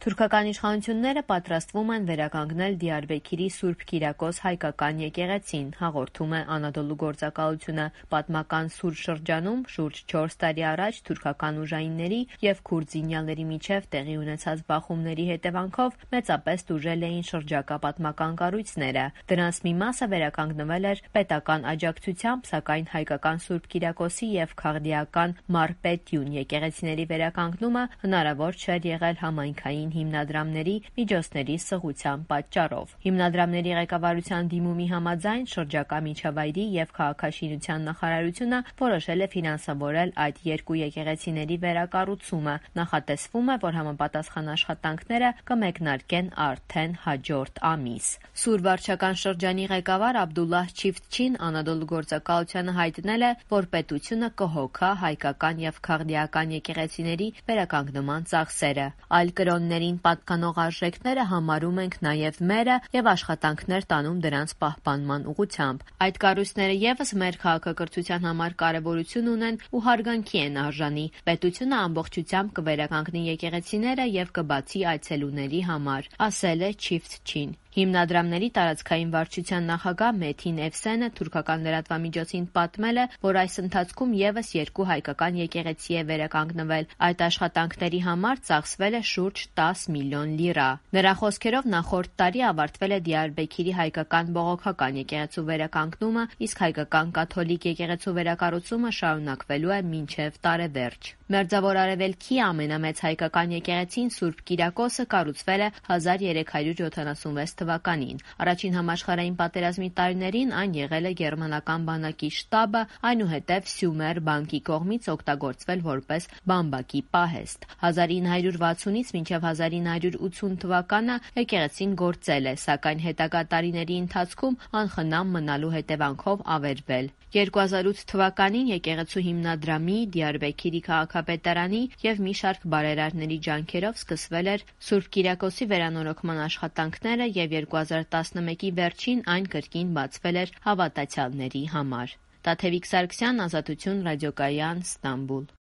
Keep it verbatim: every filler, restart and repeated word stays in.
Թուրքական իշխանությունները պատրաստվում են վերականգնել Դիարբեքիրի Սուրբ Կիրակոս հայկական եկեղեցին, հաղորդում է Անադոլու գործակալությունը։ Պատմական Սուր շրջանում շուրջ չորս տարի առաջ թուրքական ուժայինների և քուրդ զինյալների միջև տեղի ունեցած բախումների հետևանքով մեծապես տուժել էին շրջակա պատմական կառույցները։ Դրանց մի մասը վերականգնվել էր պետական աջակցությամբ, սակայն հայկական Սուրբ Կիրակոսի և Քաղդիական Մարպետյուն եկեղեցիների վերականգնումը հնարավոր չէր եղել համայնքային հիմնադրամների միջոցների սղության պատճառով։ Հիմնադրամների ղեկավարության դիմումի համաձայն շրջակա միջավայրի և քաղաքաշինության նախարարությունը որոշել է ֆինանսավորել այդ երկու եկեղեցիների վերակառուցումը։ Նախատեսվում է, որ համապատասխան աշխատանքները կմեկնարկեն արդեն հաջորդ ամիս։ Սուր վարչական շրջանի ղեկավար Աբդուլլահ Չիֆթչին Անադոլու գործակալությանը հայտնել է, որ պետությունը կհոգա հայկական և քաղդիական եկեղեցիների վերականգնման ծախսերը։ Այլ կրոններին պատկանող արժեքները համարում ենք նաև մերը և աշխատանքներ տանում դրանց պահպանման ուղղությամբ։ Այդ կառույցները ևս մեր քաղաքակրթության համար կարևորություն ունեն ու հարգանքի են արժանի։ Պետությունը ամբողջությամբ կվերականգնի եկեղեցիները և կբացի այցելուների համար, ասել է Չիֆթչին։ Հիմնադրամների տարածքային վարչության նախագահ Մեթին Էվսենը թուրքական լրատվամիջոցին պատմել է, որ այս ընթացքում ևս երկու հայկական եկեղեցի է վերականգնվել։ Այդ աշխատանքների համար ծախսվել է շուրջ տաս միլիոն լիրա։ Նրա խոսքերով նախորդ տարի ավարտվել է Դիարբեքիրի հայկական բողոքական եկեղեցու վերականգնումը, իսկ հայկական կաթոլիկ եկեղեցու վերակառուցումը շարունակվելու է մինչև տարեվերջ։ Մերձավոր Արևելքի ամենամեծ հայկական եկեղեցին Սուրբ Կիրակոսը կառուցվել է հազար երեք հարյուր յոթանասունվեց թվականին։ Առաջին համաշխարհային պատերազմի տարիներին այն եղել է գերմանական բանակի շտաբը, այնուհետև Սյումեր բանկի կողմից օգտագործվել որպես բամբակի պահեստ։ հազար ինը հարյուր վաթսունից մինչև հազար ինը հարյուր ութսուն թվականը եկեղեցին գործել է, սակայն հետագա տարիների ընթացքում անխնամ մնալու հետևանքով ավերվել։ երկու հազար ութ թվականին եկեղեցու հիմնադրամի, Դիարբեքիրի քաղաքապետարանի և մի շարք բարերարների ջանքերով սկսվել էր Սուրբ Կիրակոսի վերանորոգման աշխատանքները և երկու հազար տասնմեկի վերջին այն կրկին բացվել էր հավատացյալների համար։ Տաթևիկ Սարգսյան, Ազատություն ռադիոկայան, Ստամբուլ։